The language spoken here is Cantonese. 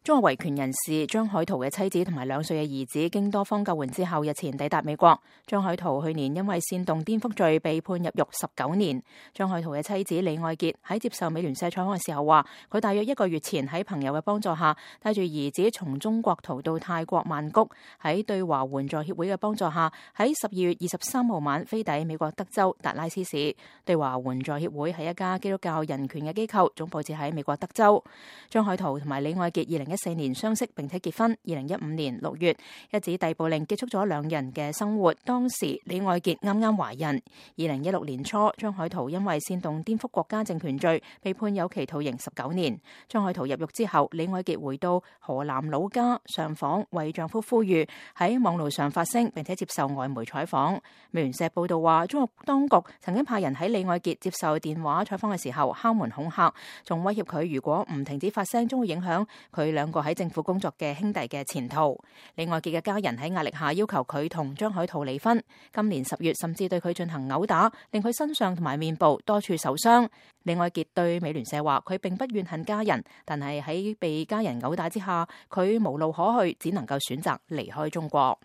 中國維權人士張海圖嘅妻子同埋2歲嘅兒子經多方救援之後，日前抵達美國。張海圖去年因為煽動顛覆罪被判入獄19年。張海圖嘅妻子李愛潔喺接受美聯社採訪嘅時候話，佢大約1個月前喺朋友嘅幫助下，帶住兒子從中國逃到泰國曼谷，喺對華援助協會嘅幫助下，喺12月23號晚飛抵美國德州達拉斯市。對華援助協會係一家基督教人權嘅機構，總部設喺美國德州。張海圖同埋李愛潔2014年相識並且結婚，2015年6月一紙逮捕令結束咗2人嘅生活。當時李愛潔啱啱懷孕。2016年初，張海圖因為煽動顛覆國家政權罪被判有期徒刑19年。張海圖入獄之後，李愛潔回到河南老家上訪，為丈夫呼籲，喺網路上發聲，並且接受外媒採訪。美聯社報道話，中國當局曾經派人喺李愛潔接受電話採訪嘅時候敲門恐嚇，仲威脅佢如果唔停止發聲，將會影響佢2個喺政府工作嘅兄弟嘅前途。李愛潔嘅家人喺壓力下要求佢同張海圖離婚。今年10月甚至對佢進行毆打，令佢身上同埋面部多處受傷。李愛潔對美聯社話，佢並不怨恨家人，但係喺被家人毆打之下，佢無路可去，只能夠選擇離開中國。